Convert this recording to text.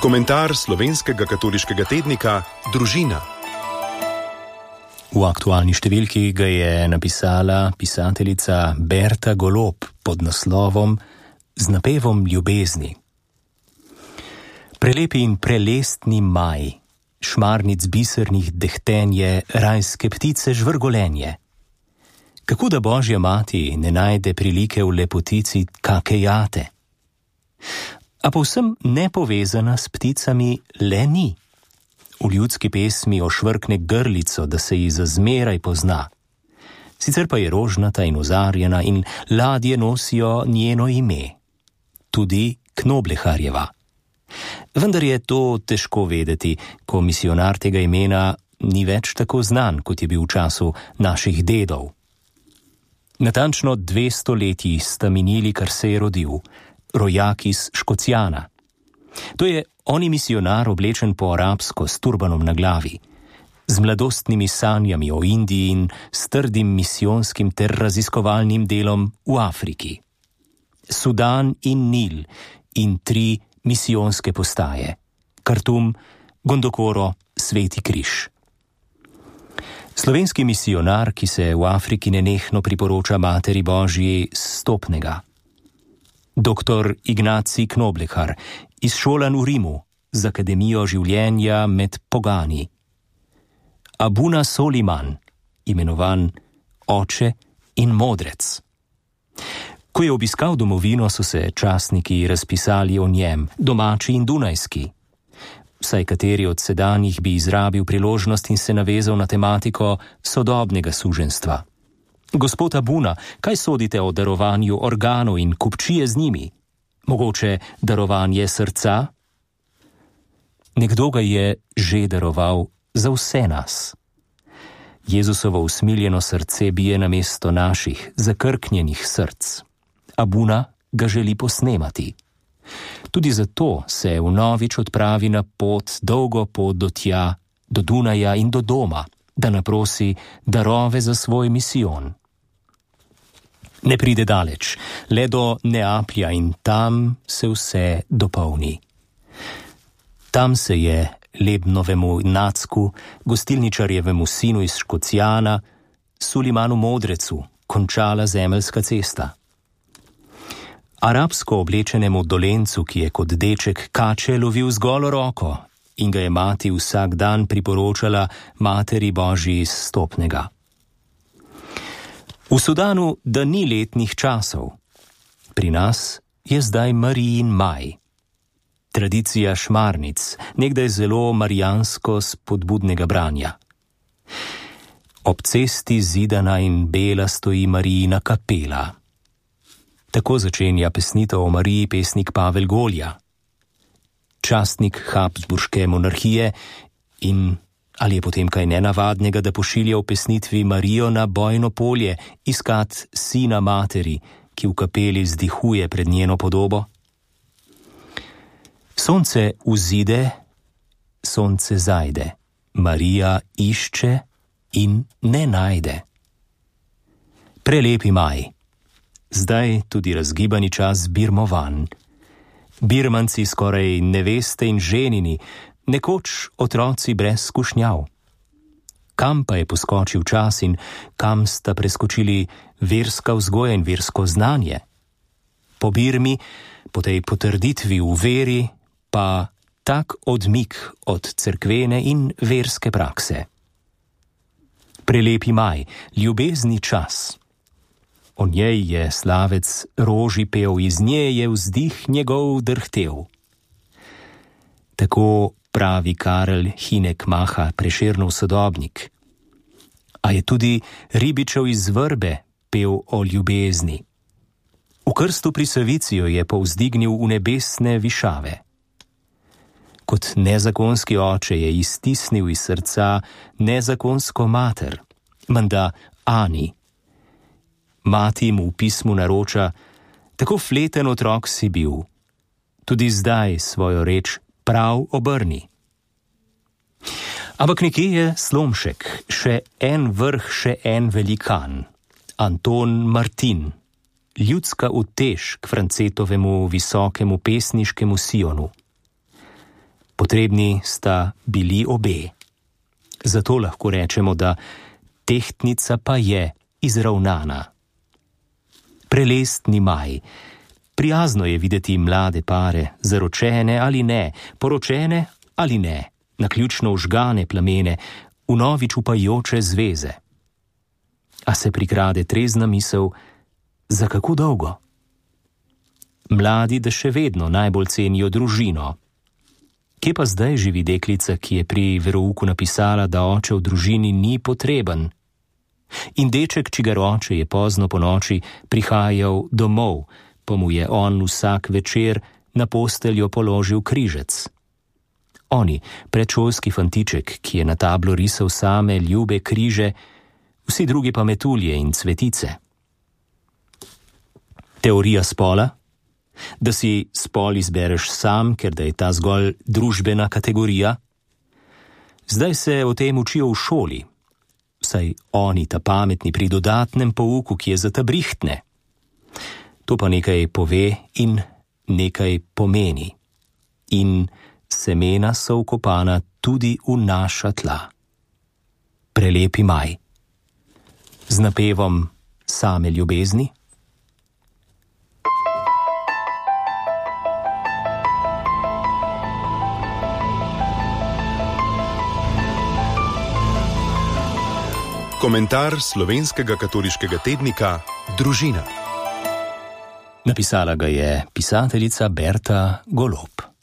Komentar slovenskega katoliškega tednika Družina. V aktualni številki ga je napisala pisateljica Berta Golob pod naslovom Z napevom ljubezni. Prelepi in prelestni maj, šmarnic bisernih dehtenje, rajske ptice žvrgolenje. Kako da Božja mati ne najde prilike v lepotici kake jate? A povsem nepovezana s pticami le ni. V ljudski pesmi ošvrkne grlico, da se ji zazmeraj pozna. Sicer pa je rožnata in ozarjena in ladje nosijo njeno ime. Tudi Knobleharjeva. Vendar je to težko vedeti, ko misijonar tega imena ni več tako znan, kot je bil v času naših dedov. Natančno 200 leti sta minili, kar se je rodil, rojak iz Škocijana. To je oni misijonar oblečen po arabsko s turbanom na glavi, z mladostnimi sanjami o Indiji in s trdim misijonskim ter raziskovalnim delom v Afriki. Sudan in Nil in 3 misijonske postaje, Kartum, Gondokoro, Sveti križ. Slovenski misijonar, ki se v Afriki nenehno priporoča Materi Božji Stopnega. Dr. Ignacij Knoblehar, izšolan v Rimu, z Akademijo življenja med pogani. Abuna Soliman, imenovan Oče in Modrec. Ko je obiskal domovino, so se časniki razpisali o njem, domači in dunajski. Vsaj kateri od sedanjih bi izrabil priložnost in se navezal na tematiko sodobnega suženjstva. Gospod Abuna, kaj sodite o darovanju organov in kupčije z njimi? Mogoče darovanje srca? Nekdo ga je že daroval za vse nas. Jezusovo usmiljeno srce bije namesto naših zakrknjenih src. Abuna ga želi posnemati. Tudi zato se vnovič odpravi na pot, dolgo pot do tja, do Dunaja in do doma, da naprosi darove za svoj misijon. Ne pride daleč, le do Neaplja in tam se vse dopolni. Tam se je Lebnovemu Nacku, gostilničarjevemu sinu iz Škocijana, Sulimanu Modrecu, končala zemeljska cesta. Arabsko oblečenemu dolencu, ki je kot deček kače lovil z golo roko in ga je mati vsak dan priporočala Materi Božji Stopnega. V Sudanu, da ni letnih časov. Pri nas je zdaj Marijin maj. Tradicija šmarnic, nekdaj zelo marijansko spodbudnega branja. Ob cesti zidana in bela stoji Marijina kapela. Tako začenja pesnitev o Mariji pesnik Pavel Golja. Častnik Habsburške monarhije in ali je potem kaj nenavadnega, da pošilja v pesnitvi Marijo na bojno polje iskat sina materi, ki v kapeli vzdihuje pred njeno podobo? Sonce vzide, sonce zajde, Marija išče in ne najde. Prelepi maj. Zdaj tudi razgibani čas birmovanj. Birmanci skoraj neveste in ženini, nekoč otroci brez skušnjav. Kam pa je poskočil čas in kam sta preskočili verska vzgoja in versko znanje? Po Birmi, po tej potrditvi v veri, pa tak odmik od cerkvene in verske prakse. Prelepi maj, ljubezni čas. O njej je slavec roži pel, iz nje je vzdih njegov drhtel. Tako pravi Karel Hinek Maha, Prešernov sodobnik. A je tudi Ribičev iz Vrbe pel o ljubezni. V krstu pri Savici jo je povzdignil v nebesne višave. Kot nezakonski oče je iztisnil iz srca nezakonsko mater, menda Ani. Mati mu v pismu naroča, tako fleten otrok si bil, tudi zdaj svojo reč prav obrni. Ampak nekje je slomšek, še en vrh, še en velikan, Anton Martin, ljudska utež k Francetovemu visokemu pesniškemu Sionu. Potrebni sta bili obe. Zato lahko rečemo, da tehtnica pa je izravnana. Prelestni maj. Prijazno je videti mlade pare, zaročene ali ne, poročene ali ne, naključno vžgane plamene, vnovič upajoče zveze. A se prikrade trezna misel, za kako dolgo? Mladi, da še vedno najbolj cenijo družino. Kje pa zdaj živi deklica, ki je pri verouku napisala, da oče v družini ni potreben? In deček, čigar oče je pozno po noči prihajal domov, pa mu je on vsak večer na posteljo položil križec. Oni, predšolski fantiček, ki je na tablo risal same ljube križe, vsi drugi pa metulje in cvetice. Teorija spola? Da si spol izbereš sam, ker da je ta zgolj družbena kategorija? Zdaj se o tem učijo v šoli, saj oni ta pametni pri dodatnem pouku, ki je za ta brihtne. To pa nekaj pove in nekaj pomeni. In semena so vkopana tudi v naša tla. Prelepi maj. Z napevom same ljubezni? Komentar slovenskega katoliškega tednika Družina. Napisala ga je pisateljica Berta Golob.